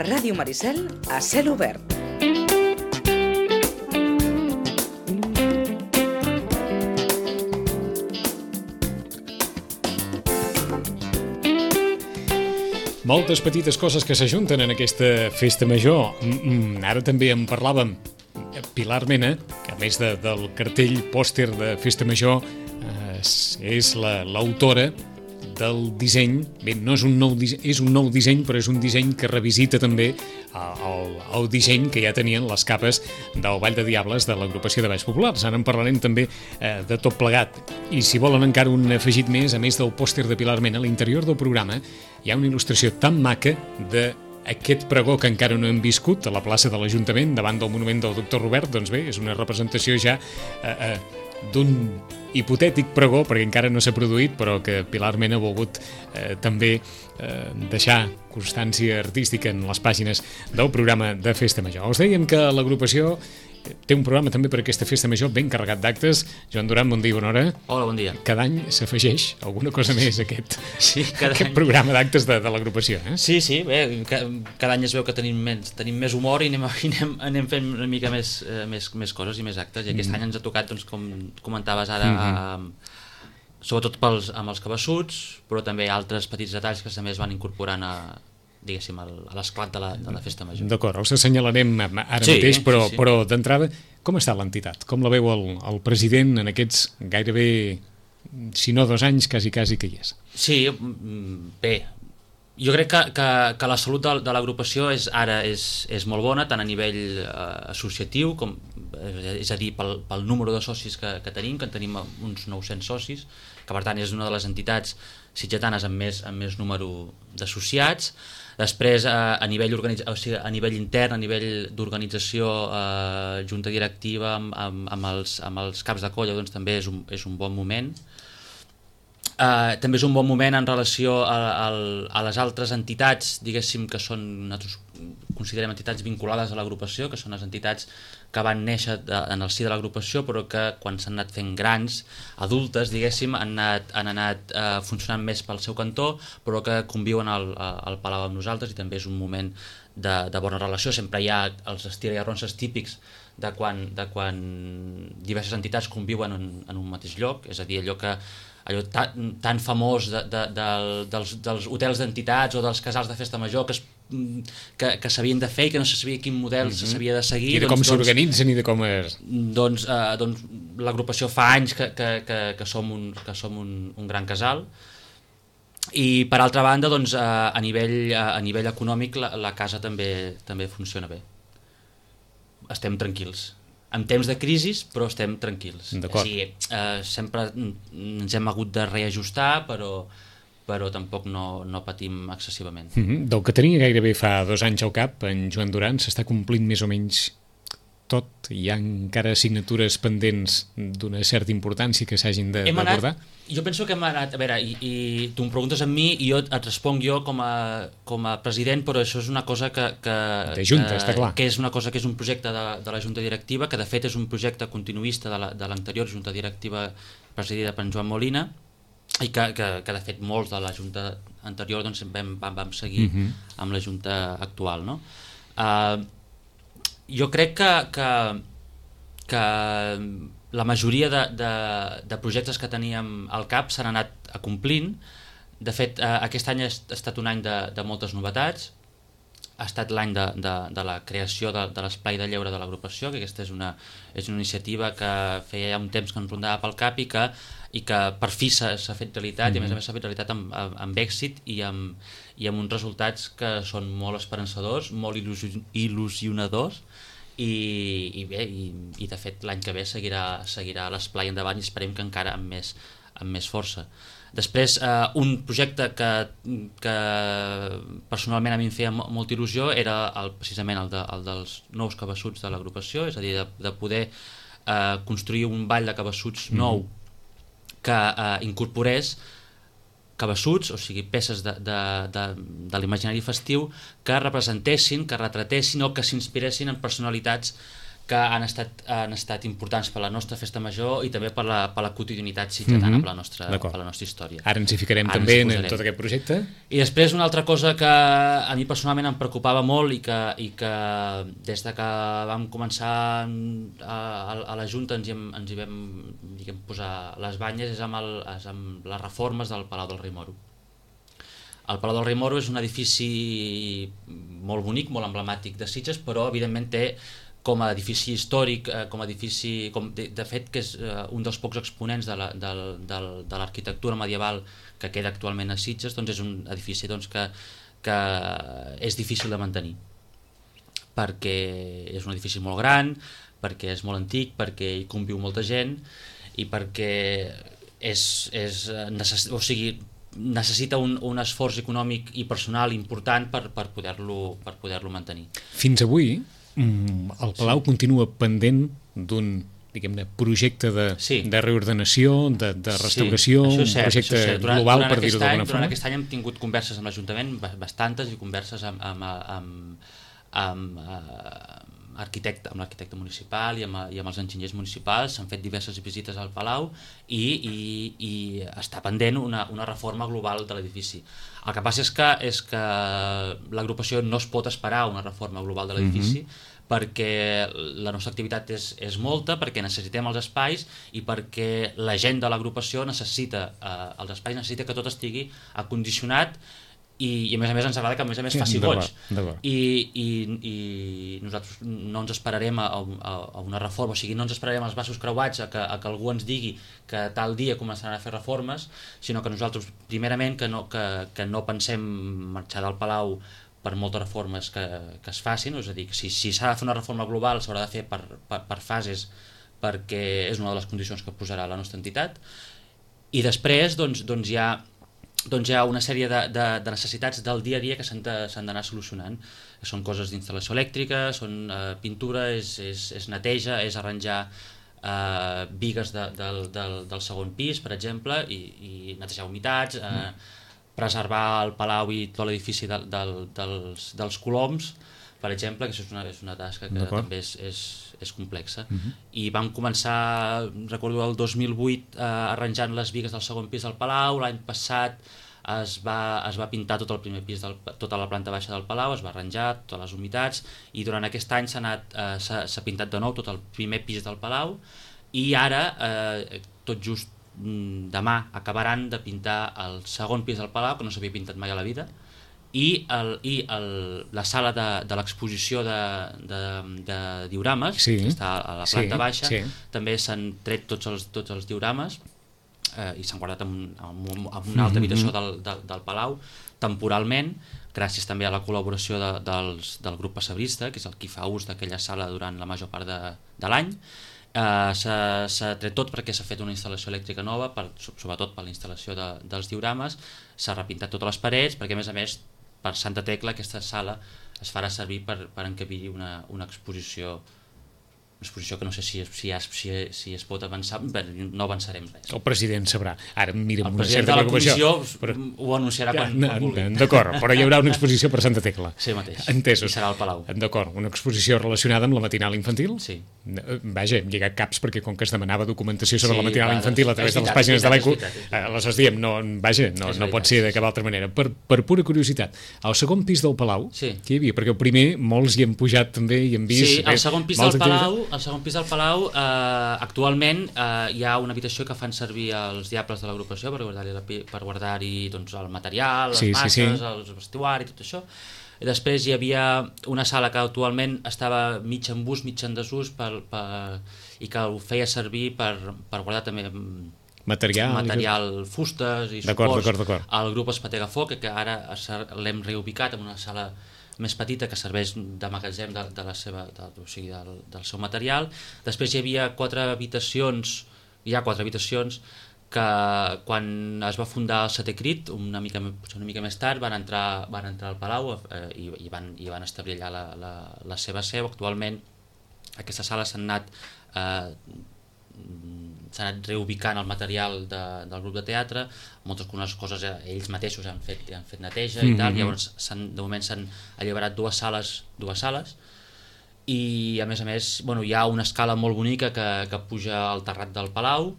Ràdio Maricel a cel obert. Moltes petites coses que s'ajunten en aquesta festa major. Ara també en parlàvem. Pilar Mena, que a més del cartell pòster de festa major, és l'autora del disseny. Bé, no és un nou disseny, és un nou disseny, però és un disseny que revisita també el disseny que ja tenien les capes del Ball de Diables de l'agrupació de Balls Populars. Ara en parlarem també de tot plegat. I si volen encara un afegit més, a més del pòster de Pilar Mena, a l'interior del programa hi ha una il·lustració tan maca d'aquest pregó que encara no hem viscut a la plaça de l'Ajuntament, davant del monument del doctor Robert. Doncs bé, és una representació ja d'un hipotètic pregó, perquè encara no s'ha produït, però que Pilar Mena ha volgut també deixar constància artística en les pàgines del programa de Festa Major. Us dèiem que l'agrupació té un programa també per aquesta Festa Major ben carregat d'actes. Joan Duran, bon dia i bona hora. Hola, bon dia. Cada any s'afegeix alguna cosa més a aquest any. Programa d'actes de l'agrupació. Sí, bé, cada any es veu que tenim més humor i anem fent una mica més coses i més actes, i aquest any ens ha tocat, doncs, com comentaves ara, sobretot amb els cabassuts, però també altres petits detalls que també es van incorporant a l'esclat de la festa major. D'acord, els assenyalarem ara mateix, però d'entrada, com està l'entitat? Com la veu el president en aquests gairebé, si no 2 anys, quasi que hi és? Sí, bé, jo crec que la salut de l'agrupació ara és molt bona, tant a nivell associatiu, és a dir, pel número de socis que tenim, que en tenim uns 900 socis, que per tant és una de les entitats sitgetanes amb més número d'associats. Després, a nivell intern, a nivell d'organització, junta directiva, amb els caps de colla, doncs també és un bon moment. També és un bon moment en relació a les altres entitats, diguéssim, que són, nosaltres considerem entitats vinculades a l'agrupació, que són les entitats que van néixer en el si de l'agrupació, però que quan s'han anat fent grans, adultes, diguéssim, han anat funcionant més pel seu cantó, però que conviuen al Palau amb nosaltres, i també és un moment de bona relació. Sempre hi ha els estira i arronses típics de quan diverses entitats conviuen en un mateix lloc, és a dir, allò tan famós dels hotels d'entitats o dels casals de festa major que s'havien de fer i que no se sabia quin model s'havia de seguir. I de com s'organitzen i de com és... Doncs l'agrupació fa anys que som un gran casal, i per altra banda, doncs, a nivell econòmic la casa també funciona bé. Estem tranquils. En temps de crisi, però estem tranquils. D'acord. Sempre ens hem hagut de reajustar, però tampoc no patim excessivament. Del que tenia gairebé fa 2 anys al cap, en Joan Duran, s'està complint més o menys tot? Hi ha encara assignatures pendents d'una certa importància que s'hagin d'abordar? Jo penso que hem anat... A veure, i tu em preguntes a mi i jo et responc jo com a president, però això és una cosa de Junta, està clar. Que és una cosa que és un projecte de la Junta Directiva, que de fet és un projecte continuista de l'anterior Junta Directiva presidida per Joan Molina, i que de fet molts de la Junta anterior doncs, vam seguir amb la Junta actual, no? Jo crec que la majoria de projectes que teníem al cap s'han anat complint. De fet, aquest any ha estat un any de moltes novetats. Ha estat l'any de la creació de l'espai de lleure de l'agrupació, que aquesta és una iniciativa que feia ja un temps que ens rondava pel cap i que per fi s'ha fet realitat, i a més s'ha fet realitat amb èxit i amb uns resultats que són molt esperançadors, molt il·lusionadors, i de fet l'any que ve seguirà l'esplai endavant, i esperem que encara amb més força. Després, un projecte que personalment a mi em feia molta il·lusió era precisament el dels nous cabassuts de l'agrupació, és a dir, de poder construir un ball de cabassuts nou que incorporés cabassuts, o sigui, peces de l'imaginari festiu que representessin, que retratessin o que s'inspiressin en personalitats que han estat importants per la nostra festa major i també per la quotidianitat sitgetana, per la nostra història. Ara ens hi ficarem també en tot aquest projecte. I després una altra cosa que a mi personalment em preocupava molt i que des de que vam començar a la Junta ens hi vam posar les banyes és amb les reformes del Palau del Rei Moro. El Palau del Rei Moro és un edifici molt bonic, molt emblemàtic de Sitges, però evidentment té com a edifici històric, de fet que és un dels pocs exponents de l'arquitectura medieval que queda actualment a Sitges, doncs és un edifici que és difícil de mantenir, perquè és un edifici molt gran, perquè és molt antic, perquè hi conviu molta gent i perquè necessita un esforç econòmic i personal important per poder-lo mantenir. Fins avui el Palau continua pendent d'un, diguem-ne, projecte de reordenació, de restauració, un projecte global, per dir-ho d'alguna forma. Durant aquest any hem tingut converses amb l'Ajuntament, bastantes, i converses amb l'arquitecte municipal i amb els enginyers municipals. S'han fet diverses visites al Palau i està pendent una reforma global de l'edifici. El que passa és que l'agrupació no es pot esperar una reforma global de l'edifici, perquè la nostra activitat és molta, perquè necessitem els espais i perquè la gent de l'agrupació necessita els espais, necessita que tot estigui acondicionat i a més ens agrada que a més faci goig. I nosaltres no ens esperarem a una reforma, o sigui, no ens esperarem els braços creuats a que algú ens digui que tal dia començaran a fer reformes, sinó que nosaltres, primerament, que no pensem marxar del Palau per moltes reformes que es facin, és a dir, si s'ha de fer una reforma global s'haurà de fer per fases, perquè és una de les condicions que posarà la nostra entitat, i després doncs hi ha una sèrie de necessitats del dia a dia que s'han d'anar solucionant. Són coses d'instal·lació elèctrica, són pintura, és neteja, és arranjar bigues del segon pis, per exemple, i netejar humitats, preservar el Palau i tot l'edifici dels coloms, per exemple, que això és una tasca que també és complexa. I vam començar, recordo, el 2008 arranjant les bigues del segon pis del Palau. L'any passat es va pintar tot el primer pis, tota la planta baixa del Palau, es va arranjar totes les humitats, i durant aquest any s'ha pintat de nou tot el primer pis del Palau, i ara, tot just demà, acabaran de pintar el segon pis del Palau, que no s'havia pintat mai a la vida, i la sala de l'exposició de diorames, que està a la planta baixa, també s'han tret tots els diorames i s'han guardat en una altra habitació del Palau, temporalment, gràcies també a la col·laboració del grup pessebrista, que és el qui fa ús d'aquella sala durant la major part de l'any. S'ha tret tot perquè s'ha fet una instal·lació elèctrica nova, sobretot per la instal·lació dels diorames. S'ha repintat totes les parets, perquè a més per Santa Tecla aquesta sala es farà servir per encabir una exposició que no sé si es pot avançar, no avançarem res. El president sabrà. Ara mira amb una El certa preocupació. president de la comissió ho anunciarà quan vulgui. D'acord, però hi haurà una exposició per Santa Tecla. Sí, mateix. Entesos. I serà al Palau. D'acord, una exposició relacionada amb la matinal infantil? Sí. Vaja, hem lligat caps perquè com que es demanava documentació sobre la matinal infantil a través de les pàgines de l'ECO, les diem, no pot ser de cap altra manera. Per pura curiositat, al segon pis del Palau, què hi havia? Perquè el primer molts hi hem pujat també i hem vist... Sí, al segon pis del Palau actualment hi ha una habitació que fan servir els diables de l'agrupació per guardar-hi el material, les masses, el vestuari, tot això. I després hi havia una sala que actualment estava mig en ús, mig en desús, i que ho feia servir per guardar també material, fustes i suports. El grup Espatega Foc, que ara l'hem reubicat en una sala més petita que serveix de magatzem del seu material. Després hi havia 4 habitacions que quan es va fundar el Setè Crit, una mica més tard, van entrar al Palau i van establir allà la seva seu. Actualment aquestes sales s'han anat reubicant el material del grup de teatre, moltes coses ells mateixos han fet neteja i tal. Llavors de moment s'han alliberat dues sales i a més, hi ha una escala molt bonica que puja al terrat del Palau,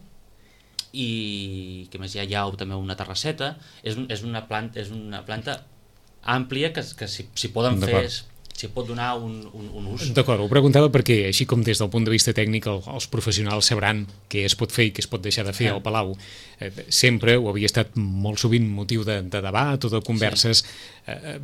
i que més hi ha també una terrasseta. És una planta àmplia que s'hi poden fer, s'hi pot donar un ús. D'acord, ho preguntava perquè, així com des del punt de vista tècnic els professionals sabran què es pot fer i què es pot deixar de fer al Palau, sempre ho havia estat molt sovint motiu de debat o de converses.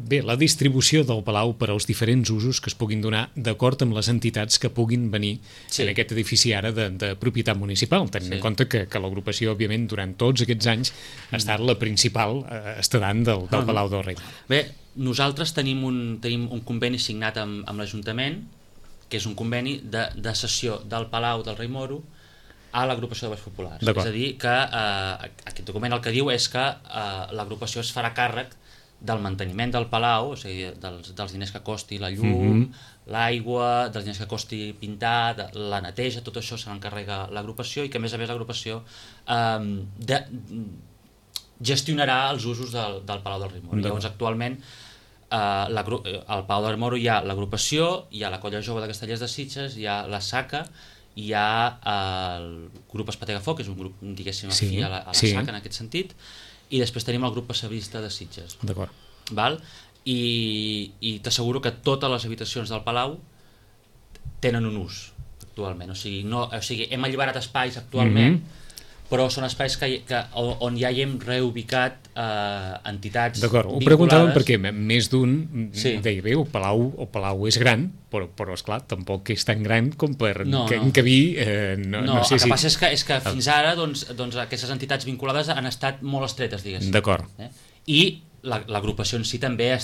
Bé, la distribució del Palau per als diferents usos que es puguin donar d'acord amb les entitats que puguin venir en aquest edifici ara de propietat municipal, tenint en compte que l'agrupació, òbviament, durant tots aquests anys ha estat la principal estadant del Palau del Rei. Bé, nosaltres tenim un conveni signat amb l'Ajuntament, que és un conveni de cessió del Palau del Rei Moro a l'agrupació de Baix Populars. És a dir, que aquest document el que diu és que l'agrupació es farà càrrec del manteniment del Palau, o sigui, dels diners que costi la llum, l'aigua, dels diners que costi pintar, la neteja, tot això se l'encarrega l'agrupació, i que a més l'agrupació gestionarà els usos del Palau del Rei Moro. Llavors, actualment, al Palau del Rei Moro hi ha l'agrupació, hi ha la Colla Jove de Castellers de Sitges, hi ha la SACA, hi ha el grup Espategafoc, que és un grup, diguéssim, afí a la SACA en aquest sentit, i després tenim el grup Passavista de Sitges. D'acord. I t'asseguro que totes les habitacions del Palau tenen un ús actualment, o sigui, hem alliberat espais actualment, però són espais on ja hi hem reubicat entitats vinculades. D'acord, ho preguntàvem perquè més d'un deia, bé, el Palau és gran, però esclar, tampoc és tan gran com per encabir... No, el que passa és que fins ara aquestes entitats vinculades han estat molt estretes, diguéssim. D'acord. I l'agrupació en si també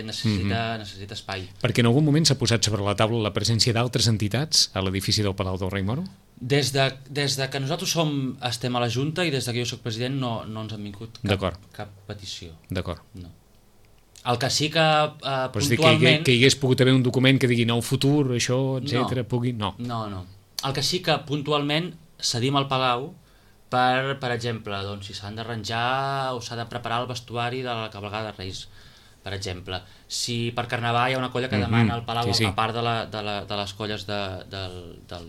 necessita espai. Perquè en algun moment s'ha posat sobre la taula la presència d'altres entitats a l'edifici del Palau del Rei Moro? Des de que nosaltres estem a la Junta i des que jo soc president no ens han vingut cap petició. D'acord. No. El que sí que puntualment... Que hi hagués pogut haver un document que digui el futur, això, etc. No. No. El que sí que puntualment cedim al Palau per exemple, si s'han d'arranjar o s'ha de preparar el vestuari de la cavalcada de Reis, per exemple. Si per Carnaval hi ha una colla que demana al Palau, a part de les colles del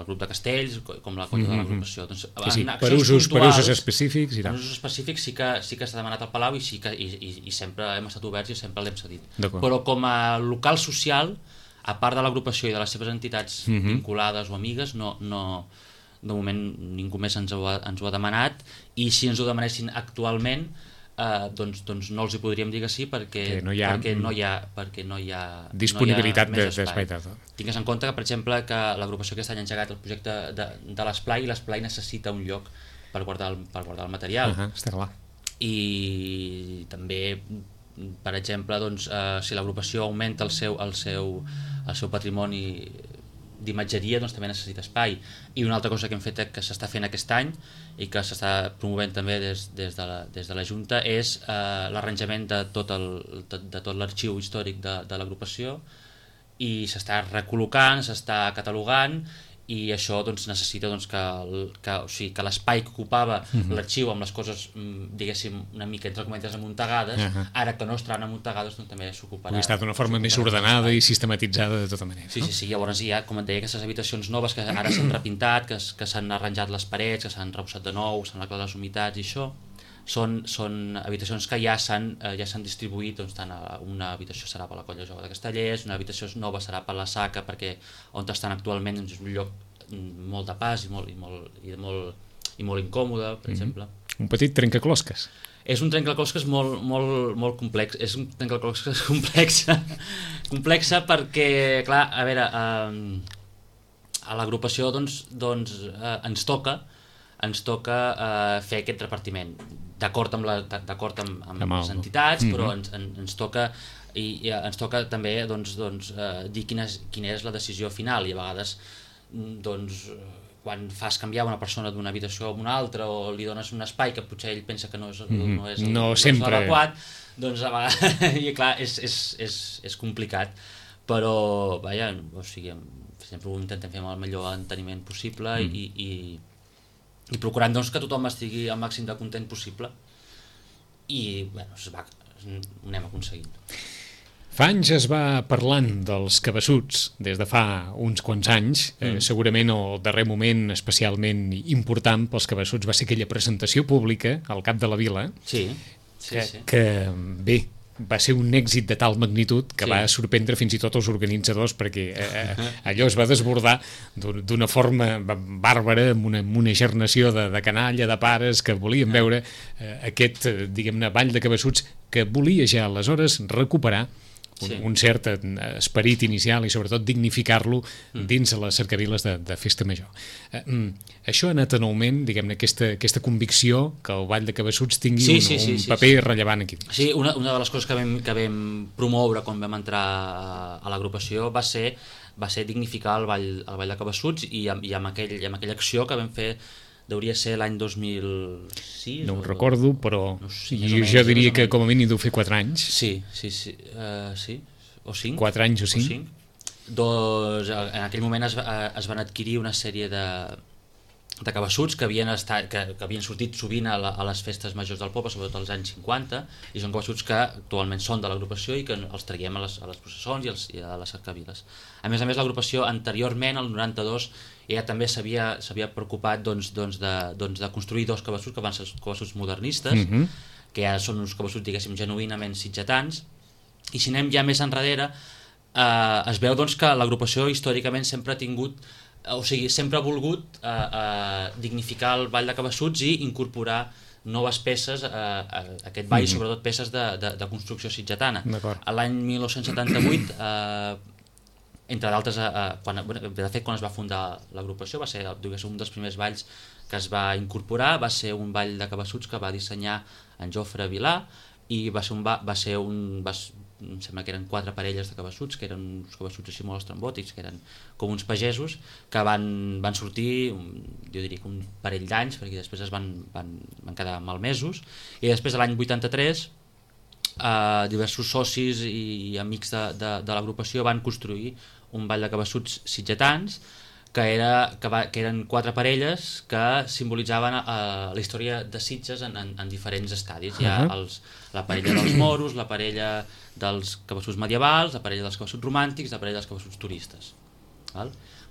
grup de castells, com la colla de l'agrupació. Per usos específics. Per usos específics sí que s'ha demanat al Palau i sempre hem estat oberts i sempre l'hem cedit. Però com a local social, a part de l'agrupació i de les seves entitats vinculades o amigues, de moment ningú més ens ho ha demanat, i si ens ho demanessin actualment doncs no els hi podríem dir que sí perquè no hi ha disponibilitat d'espai. Tingues en compte que, per exemple, que l'agrupació aquest any ha engegat el projecte de l'esplai, i l'esplai necessita un lloc per guardar el material. Està clar. I també, per exemple, si l'agrupació augmenta el seu patrimoni d'imatgeria, també necessita espai. I una altra cosa que hem fet, que s'està fent aquest any i que s'està promovent també des de la Junta, és l'arranjament de tot l'arxiu històric de l'agrupació, i s'està recol·locant, s'està catalogant, i això necessita que l'espai que ocupava l'arxiu amb les coses, diguéssim, una mica entre cometes amuntegades, ara que no estaran amuntegades, també s'ocuparà. Ha estat d'una forma més ordenada i sistematitzada de tota manera. Sí, llavors hi ha, com et deia, aquestes habitacions noves que ara s'han repintat, que s'han arranjat les parets, que s'han arrebossat de nou, s'han arreglat les humitats i això. Són habitacions que ja s'han distribuït, tant una habitació serà per la Colla Jove de Castellers, una habitació nova serà per la SACA, perquè on estan actualment és un lloc molt de pas i molt incòmode, per exemple. Un petit trencaclosques. És un trencaclosques molt complex. És un trencaclosques complexa perquè, clar, a veure, a l'agrupació ens toca fer aquest repartiment d'acord amb les entitats, però ens toca també dir quina és la decisió final, i a vegades quan fas canviar una persona d'una habitació a una altra o li dones un espai que potser ell pensa que no és l'adequat, doncs a vegades i clar, és complicat, però vaja, o sigui, sempre ho intentem fer amb el millor enteniment possible i procurant que tothom estigui al màxim de content possible, i ho anem aconseguint. Fa anys es va parlant dels cabassuts, des de fa uns quants anys. Segurament el darrer moment especialment important pels cabassuts va ser aquella presentació pública al Cap de la Vila, Sí. que bé, va ser un èxit de tal magnitud que va sorprendre fins i tot els organitzadors, perquè allò es va desbordar d'una forma bàrbara, amb una gernació de canalla, de pares que volien veure aquest, diguem-ne, ball de cabassuts que volia ja aleshores recuperar un cert esperit inicial i sobretot dignificar-lo dins de les cercaviles de Festa Major. Això ha anat en augment, diguem-ne, aquesta convicció que el ball de cabassuts tingui un paper rellevant aquí. Sí, una de les coses que vam promoure quan vam entrar a l'agrupació va ser dignificar el ball de cabassuts i amb aquella acció que vam fer. Hauria ser l'any 2006. No ho recordo, però no sé, jo diria que com a mínim deu fer 4 anys. Sí, o 5. 4 anys o 5. Doncs en aquell moment es van adquirir una sèrie de cabassuts que havien sortit sovint a les festes majors del poble, sobretot als anys 50, i són cabassuts que actualment són de l'agrupació i que els traiem a les processons i a les cercaviles. A més, l'agrupació anteriorment, el 92, ja també s'havia preocupat de construir 2 cabassuts que van ser els cabassuts modernistes, que ja són uns cabassuts, diguéssim, genuïnament sitgetans, i si anem ja més enrere es veu que l'agrupació històricament sempre ha tingut, o sigui, sempre ha volgut dignificar el ball de cabassuts i incorporar noves peces a aquest ball, sobretot peces de construcció sitgetana. L'any 1978 entre d'altres, de fet quan es va fundar l'agrupació va ser un dels primers balls que es va incorporar, va ser un ball de cabassuts que va dissenyar en Jofre Vilà i em sembla que eren 4 parelles de cabassuts, que eren uns cabassuts així molt estrambòtics, que eren com uns pagesos que van sortir, jo diria que un parell d'anys, perquè després es van quedar malmesos, i després de l'any 83 diversos socis i amics de l'agrupació van construir un ball de cabassuts sitgetans que eren 4 parelles que simbolitzaven la història de Sitges en diferents estadis. Hi ha la parella dels moros, la parella dels cabassuts medievals, la parella dels cabassuts romàntics, la parella dels cabassuts turistes.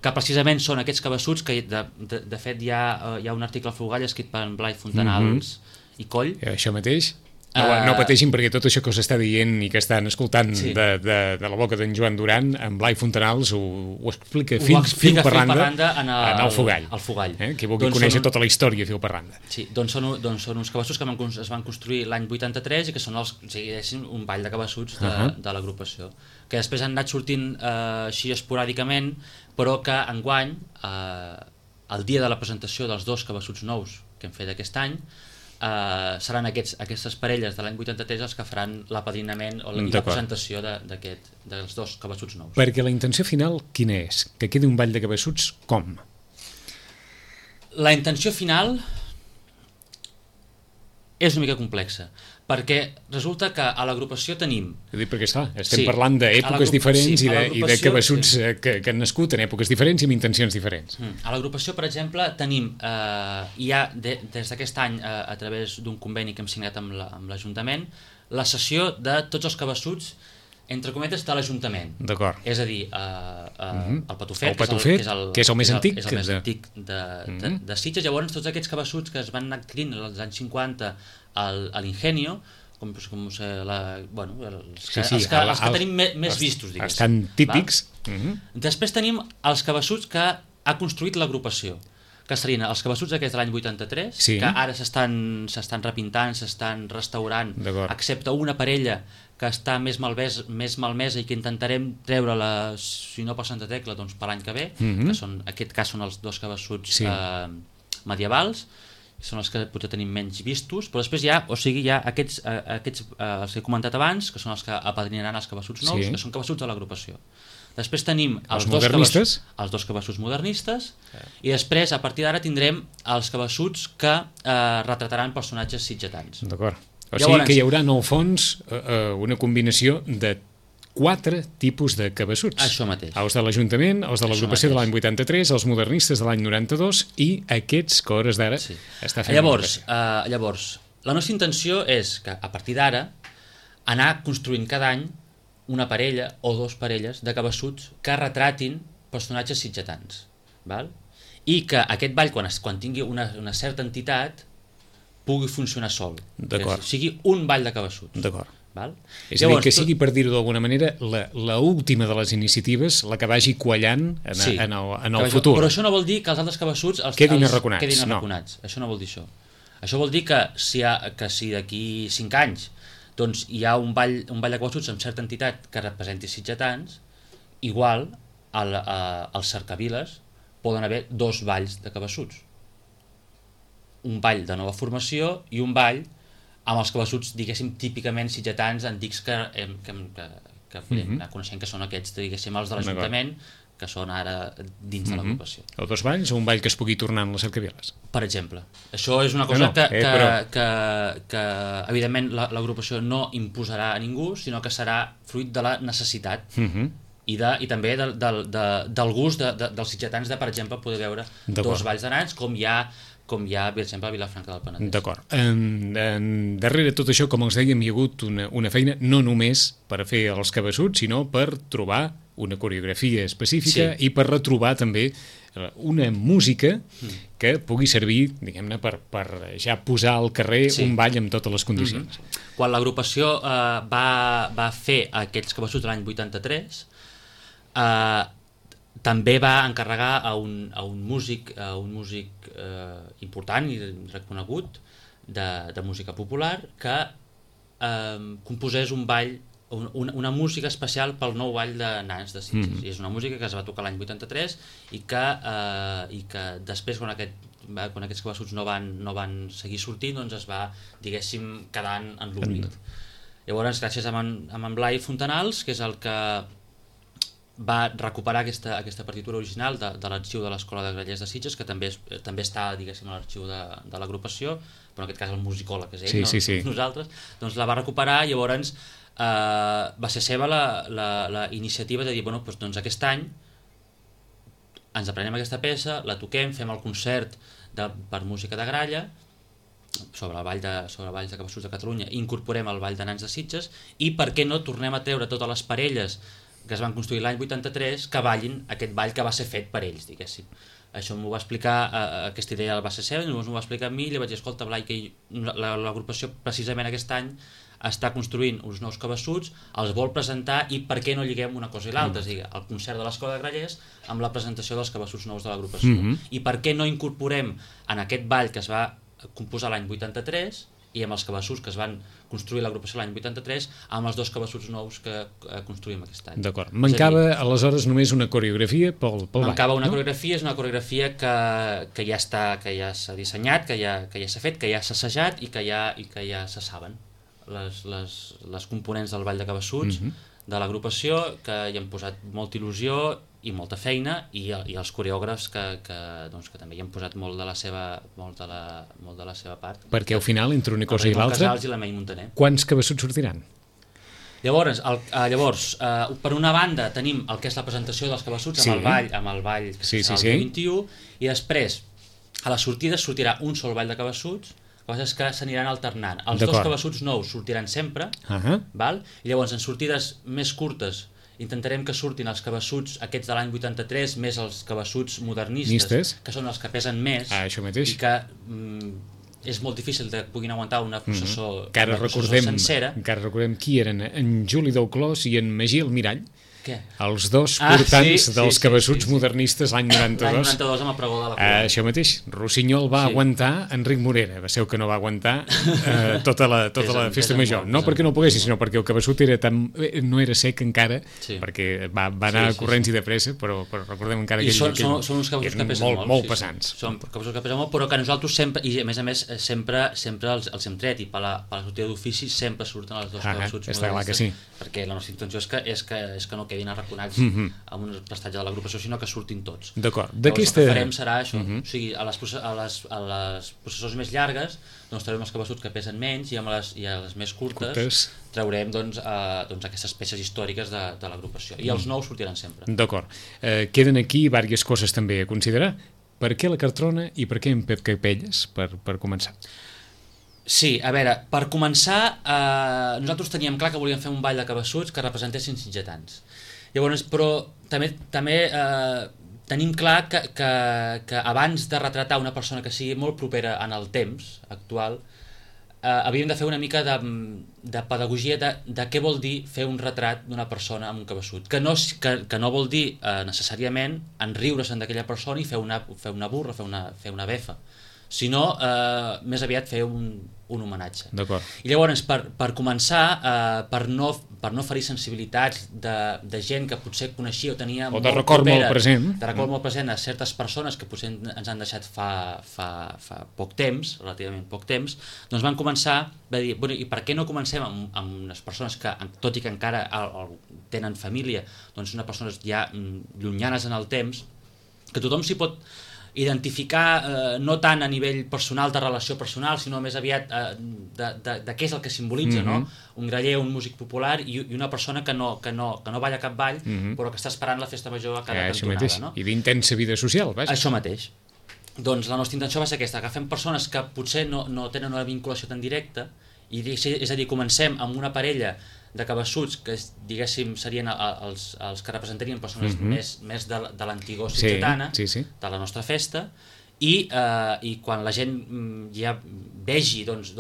Que precisament són aquests cabassuts que de fet hi ha un article al Fogall escrit per en Blai Fontanals i Coll. Això mateix. No pateixin, perquè tot això que us està dient i que estan escoltant de la boca d'en Joan Duran, en Blai Fontanals ho explica fil per randa en el Fogall. Qui vulgui conèixer tota la història fil per randa. Sí, doncs són uns cabassuts que es van construir l'any 83 i que són un ball de cabassuts de l'agrupació, que després han anat sortint així esporàdicament, però que enguany, el dia de la presentació dels 2 cabassuts nous que hem fet aquest any, seran aquestes parelles de l'any 83 els que faran l'apadrinament o la presentació dels 2 cabassuts nous. Perquè la intenció final quina és? Que quedi un ball de cabassuts com? La intenció final és una mica complexa, perquè resulta que a l'agrupació tenim... Perquè estem parlant d'èpoques diferents i de cabassuts que han nascut en èpoques diferents i amb intencions diferents. A l'agrupació, per exemple, tenim, des d'aquest any, a través d'un conveni que hem signat amb l'Ajuntament, la cessió de tots els cabassuts entre cometes de l'Ajuntament. D'acord. És a dir, el Patufet, que és el més antic de Sitges. Llavors, tots aquests cabassuts que es van anar adquirint als anys 50 a l'Ingenio, els que tenim més vistos, diguéssim. Estan típics. Després tenim els cabassuts que ha construït l'agrupació, que serien els cabassuts aquests de l'any 83, que ara s'estan repintant, s'estan restaurant, excepte una parella que està més malmesa i que intentarem treure-la, si no per Santa Tecla, doncs per l'any que ve, que en aquest cas són els 2 cabassuts medievals, són els que potser tenim menys vistos, però després hi ha aquests els que he comentat abans, que són els que apadrinaran els cabassuts nous, que són cabassuts de l'agrupació. Després tenim els 2 cabassuts modernistes i després, a partir d'ara, tindrem els cabassuts que retrataran personatges sitgetans. D'acord. O sigui que hi haurà, en el fons, una combinació de 4 tipus de cabassuts. Això mateix. Els de l'Ajuntament, els de l'agrupació de l'any 83, els modernistes de l'any 92 i aquests que a hores d'ara està fent... Llavors, la nostra intenció és que, a partir d'ara, anar construint cada any una parella o dos parelles de cabassuts que retratin personatges sitgetans, val? I que aquest ball, quan tingui una certa entitat, pugui funcionar sol. D'acord. Que sigui un ball de cabassuts. D'acord. Val? És a dir, que sigui, per dir-ho d'alguna manera, la última de les iniciatives, la que vagi quallant en el futur. Però això no vol dir que els altres cabassuts quedin arraconats. Això no vol dir això. Això vol dir que si d'aquí 5 anys doncs, hi ha un ball de cabassuts amb certa entitat que representi sitgetans, igual als cercaviles poden haver 2 balls de cabassuts. Un ball de nova formació i un ball amb els cabassuts, diguéssim, típicament sitgetans antics que podem anar coneixent, que són aquests, diguéssim, els de l'Ajuntament, que són ara dins de l'agrupació. O 2 balls o un ball que es pugui tornar en les cercaviles. Per exemple. Això és una cosa que evidentment l'agrupació no imposarà a ningú, sinó que serà fruit de la necessitat i també del gust dels sitgetans de, per exemple, poder veure 2 balls de nans, com hi ha, per exemple, a Vilafranca del Penedès. D'acord. Darrere tot això, com els dèiem, hi ha hagut una feina no només per fer els cabassuts, sinó per trobar una coreografia específica i per retrobar també una música que pugui servir, diguem-ne, per ja posar al carrer un ball amb totes les condicions. Quan l'agrupació va fer aquells cabassuts l'any 83, també va encarregar a un músic important i reconegut de música popular que composés un ball, una música especial pel nou ball de nans de Sitges. I és una música que es va tocar l'any 83 i que després, quan aquests cabassuts no van seguir sortint, doncs es va, diguéssim, quedar en l'oblit. Llavors, gràcies a en Blai Fontanals, que és el que va recuperar aquesta partitura original de l'arxiu de l'Escola de Grallers de Sitges, que també està, diguéssim, a l'arxiu de l'agrupació, però en aquest cas el musicòleg és ell, nosaltres, doncs la va recuperar i llavors va ser seva la iniciativa de dir, doncs aquest any ens aprenem aquesta peça, la toquem, fem el concert per música de gralla sobre balls de cabassuts de Catalunya, incorporem el ball de nans de Sitges i per què no tornem a treure totes les parelles que es van construir l'any 83 que ballin aquest ball que va ser fet per ells, diguéssim. Això m'ho va explicar, aquesta idea va ser seva, llavors m'ho va explicar a mi i li vaig dir, escolta, Blai, que l'agrupació precisament aquest any està construint uns nous cabassuts, els vol presentar i per què no lliguem una cosa i l'altra, és a dir, el concert de l'Escola de Grallers amb la presentació dels cabassuts nous de l'agrupació. I per què no incorporem en aquest ball que es va composar l'any 83 i amb els cabassuts que es van construir l'agrupació l'any 83 amb els 2 cabassuts nous que construïm aquest any. D'acord. Mancava aleshores només una coreografia pel ball. Mancava una coreografia, és una coreografia que ja s'ha dissenyat, que ja s'ha fet, que ja s'ha assajat i que ja se saben les components del ball de cabassuts de l'agrupació, que hi han posat molta il·lusió i molta feina, i els coreògrafs que també hi han posat molt de la seva part. Perquè al final, entre una cosa i l'altra, quants cabassuts sortiran? Llavors, per una banda tenim el que és la presentació dels cabassuts amb el ball que serà el 21, i després a les sortides sortirà un sol ball de cabassuts, coses que s'aniran alternant. Els 2 cabassuts nous sortiran sempre, i llavors en sortides més curtes intentarem que surtin els cabassuts aquests de l'any 83 més els cabassuts modernistes, que són els que pesen més i que és molt difícil que puguin aguantar una processó sencera. Encara recordem qui eren en Juli Dauclós i en Magí Almirall, Què? Els dos portants dels cabassuts modernistes l'any 92. L'any 92 amb el pregó de la Corona. Això mateix, Rossinyol va aguantar Enric Morera, va ser el que no va aguantar tota la festa major. No perquè no poguessin, sinó perquè el cabassut no era sec encara, perquè va anar a corrents i de pressa, però recordem encara que són uns cabassuts que pesen molt pesants. Són cabassuts que pesen molt, però que nosaltres sempre, i a més sempre els hem tret, i per la sortida d'ofici sempre surten els dos cabassuts modernistes, perquè la nostra intenció és que no quedin arraconats amb un prestatge de l'agrupació, sinó que surtin tots. D'acord. El que farem serà això, o sigui, a les processons més llargues doncs traurem els cabassuts que pesen menys i a les més curtes traurem aquestes peces històriques de l'agrupació, i els nous sortiran sempre. D'acord. Queden aquí diverses coses també a considerar. Per què la Cartrona i per què en Pep Capelles, per començar? Sí, a veure, per començar, nosaltres teníem clar que volíem fer un ball de cabassuts que representessin sitgetans. Llavors, però també tenim clar que abans de retratar una persona que sigui molt propera en el temps actual, havíem de fer una mica de pedagogia de què vol dir fer un retrat d'una persona amb un cabeçut, que no vol dir necessàriament enriure-se'n d'aquella persona i fer una burra, fer una befa, sinó més aviat fer un homenatge. D'acord. I llavors, per començar, per no ferir sensibilitats de gent que potser coneixia o tenia o de record molt present, de record molt present a certes persones que potser ens han deixat fa poc temps, relativament poc temps, doncs van començar a dir, bueno, i per què no comencem amb unes persones que, tot i que encara tenen família, doncs unes persones ja llunyanes en el temps, que tothom s'hi pot identificar, no tant a nivell personal, de relació personal, sinó més aviat de què és el que simbolitza, no? Un graller, un músic popular i una persona que no balla cap ball, però que està esperant la festa major a cada cantonada. No? I d'intensa vida social, vaja. Això mateix. Doncs la nostra intenció va ser aquesta, agafem persones que potser no tenen una vinculació tan directa, és a dir, comencem amb una parella de cabassuts que, diguéssim, serien els que representarien persones més de l'antigor sitgetana, de la nostra festa, i quan la gent ja vegi doncs,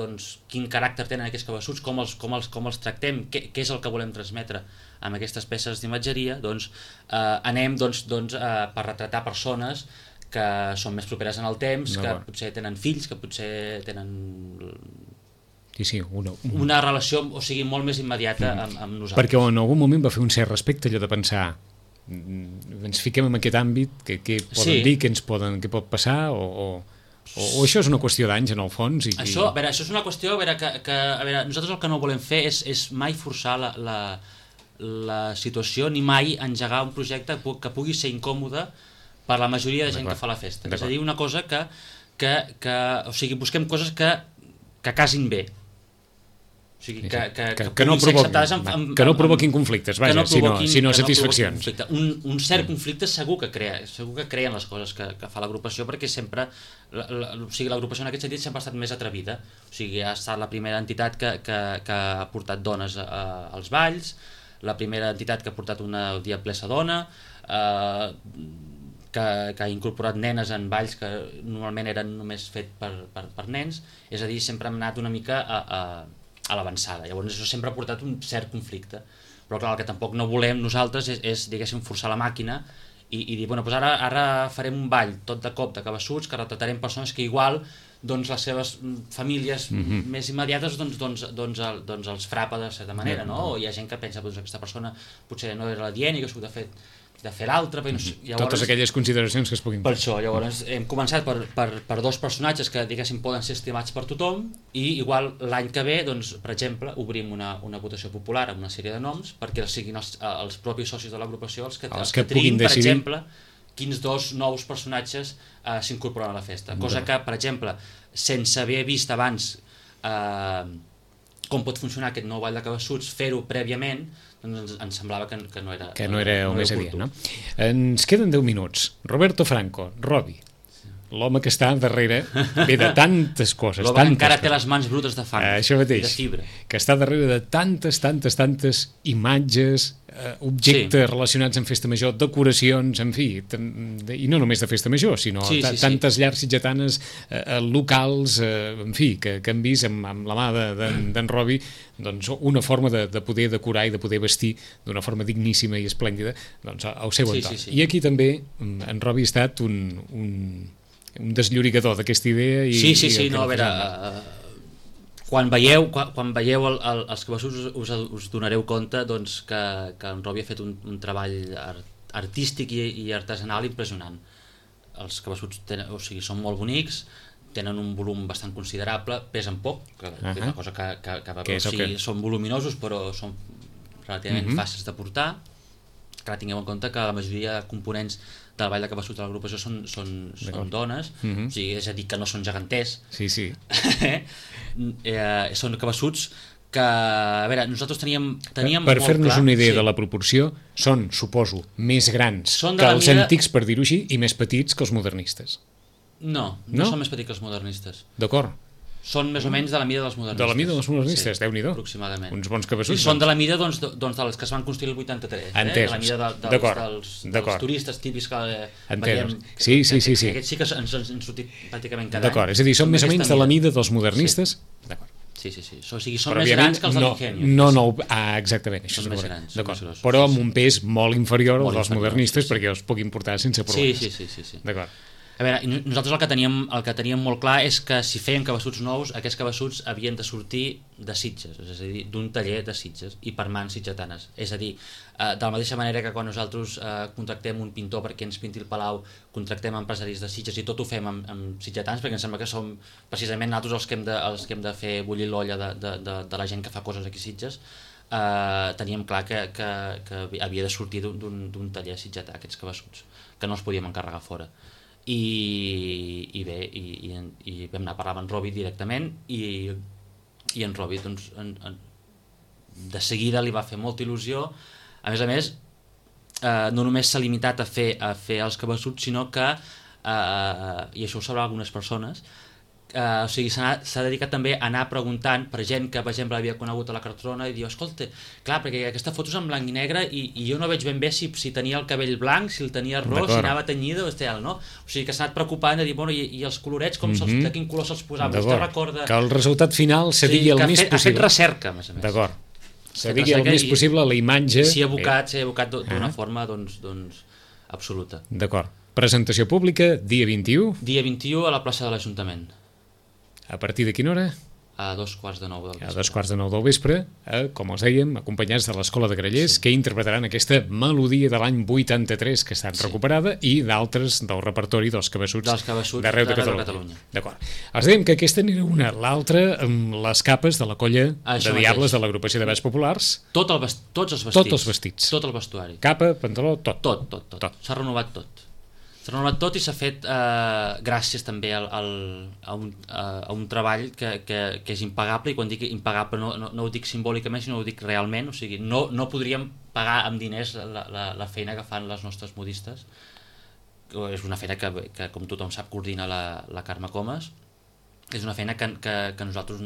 quin caràcter tenen aquests cabassuts, com els tractem, què és el que volem transmetre amb aquestes peces d'imatgeria, doncs anem per retratar persones que són més properes en el temps, que potser tenen fills, que potser tenen una relació, o sigui, molt més immediata amb nosaltres. Perquè en algun moment va fer un cert respecte allò de pensar, ens fiquem en aquest àmbit, què poden dir, què pot passar, o això és una qüestió d'anys en el fons. Això és una qüestió que nosaltres el que no volem fer és mai forçar la situació, ni mai engegar un projecte que pugui ser incòmode per la majoria de gent que fa la festa. És a dir, una cosa o sigui, busquem coses que casin bé. O sigui, que no provoquin conflictes, vaja, sinó satisfaccions. Un cert conflicte segur que creen les coses que fa l'agrupació, perquè sempre l'agrupació en aquest sentit sempre ha estat més atrevida. O sigui, ha estat la primera entitat que ha portat dones als balls, la primera entitat que ha portat una diablessa dona, que ha incorporat nenes en balls que normalment eren només fet per nens. És a dir, sempre hem anat una mica a l'avançada. Llavors això sempre ha portat un cert conflicte, però clar, el que tampoc no volem nosaltres és diguéssim, forçar la màquina i dir, bueno, doncs ara farem un ball tot de cop de cabassuts que retratarem persones que igual doncs les seves famílies més immediates doncs els frapa de certa manera, no? O hi ha gent que pensa que aquesta persona potser no era la dient i que s'ho de fer l'altre. Totes aquelles consideracions que es puguin fer. Per això, llavors hem començat per dos personatges que diguéssim poden ser estimats per tothom i igual l'any que ve, doncs, per exemple, obrim una votació popular amb una sèrie de noms perquè siguin els propis socis de l'agrupació els que triïn, per exemple, quins dos nous personatges s'incorporen a la festa. Cosa que, per exemple, sense haver vist abans com pot funcionar aquest nou ball de cabassuts, fer-ho prèviament, doncs ens semblava que no era el més adient, no? Ens queden 10 minuts. Roberto Franco, Robbie, l'home que està darrere de tantes coses. L'home que encara té les mans brutes de fang i de fibra. Que està darrere de tantes imatges, objectes relacionats amb festa major, decoracions, en fi, i no només de festa major, sinó tantes llars sitgetanes, locals, en fi, que han vist amb la mà d'en Robbie doncs, una forma de poder decorar i de poder vestir d'una forma digníssima i esplèndida doncs, al seu entorn. I aquí també en Robbie ha estat un desllorigador d'aquesta idea. No, a veure, quan veieu els cabassuts us donareu compte doncs, que en Robbie ha fet un treball artístic i artesanal impressionant. Els cabassuts són molt bonics, tenen un volum bastant considerable, pesen poc, que és una cosa que són voluminosos però són relativament fàcils de portar. Clar, tingueu en compte que la majoria de components del ball de cabassuts de l'agrupació són dones, o sigui, és a dir, que no són geganters. Són cabassuts que, a veure, nosaltres teníem per fer-nos una idea de la proporció, són, suposo, més grans que els antics, per dir-ho així, i més petits que els modernistes. No són més petits que els modernistes. D'acord. Són més o menys de la mida dels modernistes. De la mida dels modernistes, sí, Déu-n'hi-do. Aproximadament. Uns bons cabassuts. I són de la mida dels que es van construir el 83. Entès. La mida dels turistes típics que veiem. Sí. Aquests sí que ens sortit pràcticament cada any. D'acord, és a dir, són més o menys de la mida dels modernistes. Sí. D'acord. Sí. O sigui, són més grans que els de l'Ingenio. No, exactament. Això són més grans. D'acord. Però amb un pes molt inferior al dels modernistes perquè els puguin portar sense problemes. Sí. D'acord. A veure, nosaltres el que teníem molt clar és que si feien cabassuts nous, aquests cabassuts havien de sortir de Sitges, és a dir, d'un taller de Sitges i per mans sitgetanes. És a dir, de la mateixa manera que quan nosaltres contractem un pintor perquè ens pinti el Palau, contractem empresaris de Sitges i tot ho fem amb sitgetans, perquè em sembla que som precisament nosaltres els que hem de fer bullir l'olla de la gent que fa coses aquí a Sitges. Teníem clar que havia de sortir d'un taller sitgetà aquests cabassuts, que no els podíem encarregar fora. I vam anar a parlar amb en Robi directament i en Robi doncs, de seguida li va fer molta il·lusió. A més, no només s'ha limitat a fer els cabassuts, sinó que, i això ho sabrà algunes persones, o sigui, s'ha dedicat també a anar preguntant per gent que, per exemple, havia conegut a la Cartrona i diu, escolta, clar, perquè aquesta foto és en blanc i negre i jo no veig ben bé si tenia el cabell blanc, si el tenia ros, si anava tenyida o tal, no? O sigui, que s'ha anat preocupant de dir, bueno, i els colorets, de quin color se'ls posava? Vostè recorda... Que el resultat final se digui el més possible. Ha fet recerca, a més a més. D'acord. Se digui el més possible la imatge... S'hi ha abocat d'una forma, doncs, absoluta. D'acord. Presentació pública, dia 21. Dia 21 a la plaça de l'Ajuntament. A partir de quina hora? A 2:45 del vespre. A 2:45 del vespre, com els dèiem, acompanyats de l'Escola de Grallers, que interpretaran aquesta melodia de l'any 83 que està recuperada i d'altres del repertori dels cabassuts d'arreu de Catalunya. D'acord. Els dèiem que aquesta n'era una, l'altra amb les capes de la colla de diables de l'agrupació de balls populars. Tots els vestits. Tot el vestuari. Capa, pantaló, tot. Tot. S'ha renovat tot. S'ha renovat tot i s'ha fet gràcies també a un treball que és impagable, i quan dic impagable no ho dic simbòlicament, sinó ho dic realment. O sigui, no podríem pagar amb diners la feina que fan les nostres modistes. És una feina que com tothom sap, coordina la Carme Comas. És una feina que nosaltres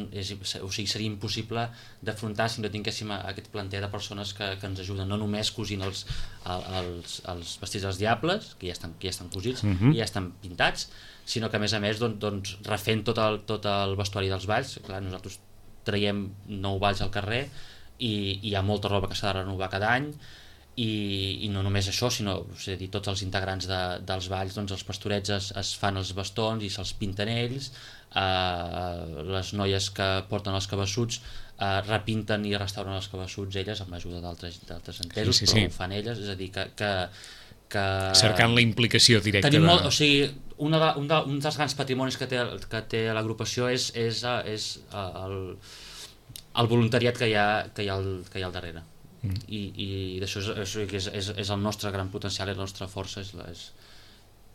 seria impossible d'afrontar si no tinguéssim aquest planter de persones que ens ajuden, no només cosint els vestits dels diables, que ja estan cosits i ja estan pintats, sinó que a més doncs, refent tot el vestuari dels balls. Clar, nosaltres traiem 9 balls al carrer i hi ha molta roba que s'ha de renovar cada any. I no només això, sinó tots els integrants dels balls, doncs els pastorets es fan els bastons i se'ls pinten ells, les noies que porten els cabassuts repinten i restauren els cabassuts elles amb l'ajuda d'altres entesos, però ho fan elles, és a dir que cercant la implicació directa. O sigui, un dels grans patrimonis que té l'agrupació és el voluntariat que hi ha al darrere. I d'això és el nostre gran potencial, és la nostra força,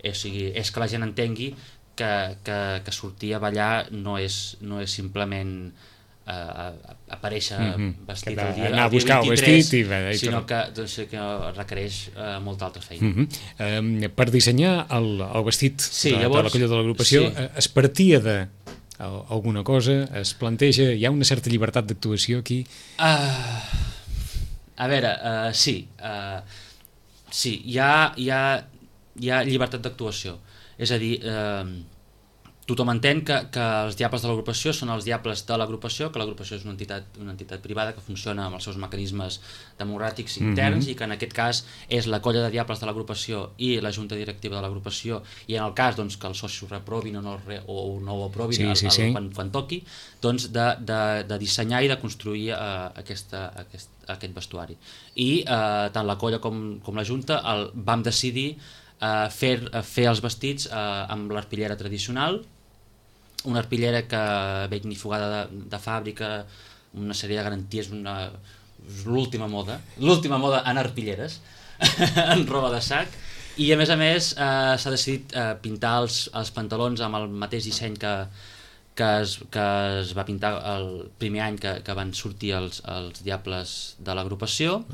és que la gent entengui que sortir a ballar no és simplement aparèixer vestit el dia 23, sinó que requereix molta altra feina. Per dissenyar el vestit de la colla de l'agrupació es partia de alguna cosa, es planteja, hi ha una certa llibertat d'actuació aquí? A veure, sí, hi ha llibertat d'actuació. És a dir, tothom entén que els diables de l'agrupació són els diables de l'agrupació, que l'agrupació és una entitat privada que funciona amb els seus mecanismes democràtics interns i que en aquest cas és la colla de diables de l'agrupació i la junta directiva de l'agrupació, i en el cas doncs, que els socis ho reprovin o no ho aprovin quan toqui, doncs de dissenyar i de construir aquest vestuari. I tant la colla com la junta vam decidir fer els vestits amb l'arpillera tradicional, una arpillera que ve ignifugada de fàbrica, una sèrie de garanties, l'última moda en arpilleres, en roba de sac, i a més s'ha decidit pintar els pantalons amb el mateix disseny que es va pintar el primer any que van sortir els diables de l'agrupació,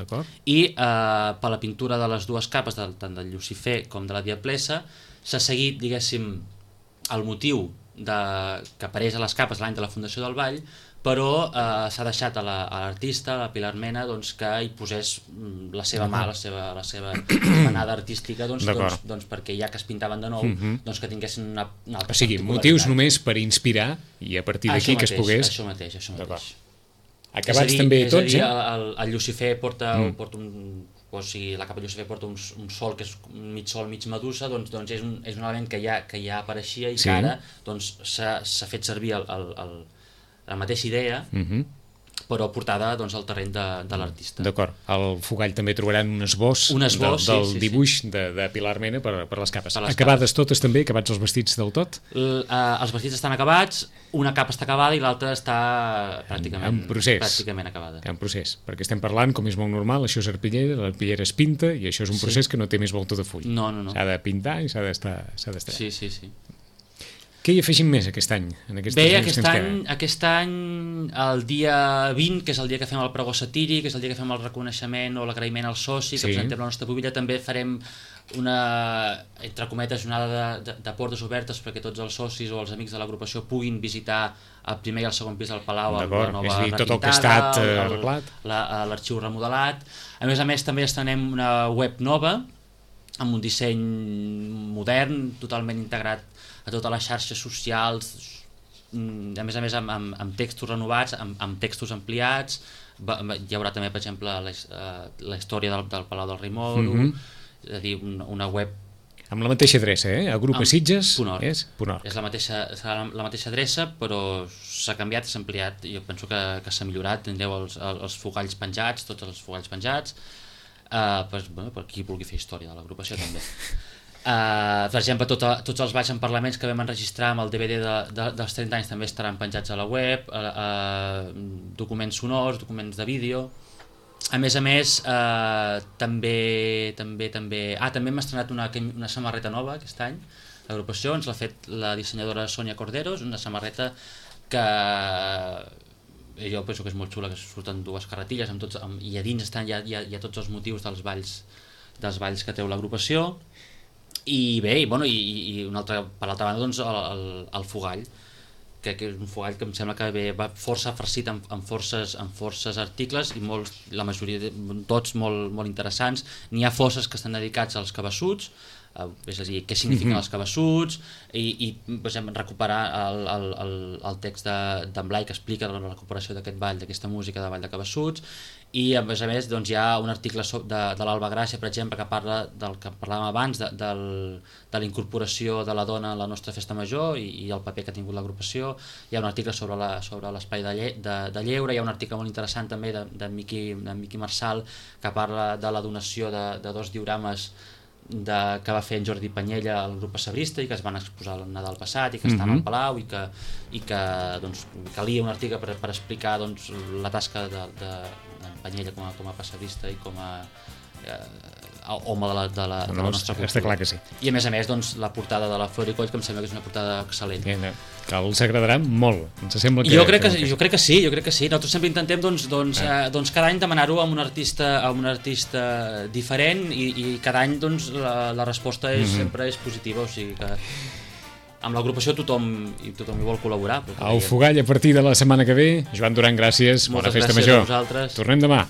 i per la pintura de les dues capes, tant del Lucifer com de la Diablessa, s'ha seguit, diguéssim, el motiu que apareix a les capes l'any de la fundació del ball, però s'ha deixat a l'artista, a la Pilar Mena, doncs, que hi posés la seva mà, la seva manada artística, doncs, perquè ja que es pintaven de nou, doncs que tinguessin una altra o sigui, motius només per inspirar i a partir d'aquí que es pogués... Això mateix. Acabats també tots, és a dir, el Llucifer porta un... O sigui, la capa Llucifer porta un sol que és mig sol, mig medusa, doncs és un element que ja apareixia i que ara s'ha fet servir la mateixa idea, però portada al terreny de l'artista. D'acord. Al Fogall també trobaran un esbós del dibuix de Pilar Mena per les capes. Acabades totes també? Acabats els vestits del tot? Els vestits estan acabats, una capa està acabada i l'altra està pràcticament acabada. En procés, perquè estem parlant, com és molt normal, això és arpillera, l'arpillera es pinta i això és un procés que no té més volta de full. No. S'ha de pintar i s'ha d'estar. Sí. Què hi afegim més aquest any? Bé, aquest any, el dia 20, que és el dia que fem el pregó satíric, que és el dia que fem el reconeixement o l'agraïment al soci, que presentem la nostra pubilla, també farem una, entre cometes, jornada de portes obertes perquè tots els socis o els amics de l'agrupació puguin visitar el primer i el segon pis del Palau, la nova repintada, tot el que ha estat arreglat, l'arxiu remodelat. A més, també estrenem una web nova, amb un disseny modern, totalment integrat a totes les xarxes socials, a més amb textos renovats, amb textos ampliats. Hi haurà també, per exemple, la història del Palau del Rei Moro, és a dir, una web amb la mateixa adreça, Agrupa Sitges .org. .org. Serà la mateixa adreça, però s'ha canviat, s'ha ampliat. Jo penso que s'ha millorat. Tindreu els fogalls penjats, tots els fogalls penjats, per qui vulgui fer història de l'agrupació també. Per exemple, tots els balls en parlaments que vam enregistrar amb el DVD dels 30 anys també estaran penjats a la web, documents sonors, documents de vídeo. A més, també hem estrenat una samarreta nova aquest any. L'agrupació ens l'ha fet la dissenyadora Sònia Corderos, una samarreta que jo penso que és molt xula, que surten dues carretilles i a dins hi ha tots els motius dels balls que treu l'agrupació. I bé, i per l'altra banda, doncs, el fogall, que és un fogall que em sembla que va força farcit amb forces articles i la majoria, tots molt interessants. N'hi ha forces que estan dedicats als cabassuts, és a dir, què signifiquen els cabassuts, i per exemple, recuperar el text d'en Blai que explica la recuperació d'aquest ball, d'aquesta música de ball de cabassuts. I a més doncs, hi ha un article de l'Alba Gràcia, per exemple, que parla del que parlàvem abans, de la incorporació de la dona a la nostra festa major i el paper que ha tingut l'agrupació. Hi ha un article sobre l'espai de lleure, hi ha un article molt interessant també de Miqui Marçal que parla de la donació de 2 diorames que va fer en Jordi Panyella al grup pessebrista i que es van exposar el Nadal passat i que estan al Palau i que doncs, calia un article per explicar doncs, la tasca d'en Panyella com a pessebrista i com a home de la nostra cultura. Està clar que sí. I a més, doncs, la portada de la Flor i Coll, que em sembla que és una portada excel·lent. Que els agradarà molt. Ens sembla que... Jo crec que sí. Nosaltres sempre intentem cada any demanar-ho a un artista diferent i cada any la resposta sempre és positiva, o sigui que amb l'agrupació tothom hi vol col·laborar. El Fogall a partir de la setmana que ve. Joan Duran, gràcies. Bona festa major. Moltes gràcies a vosaltres. Tornem demà.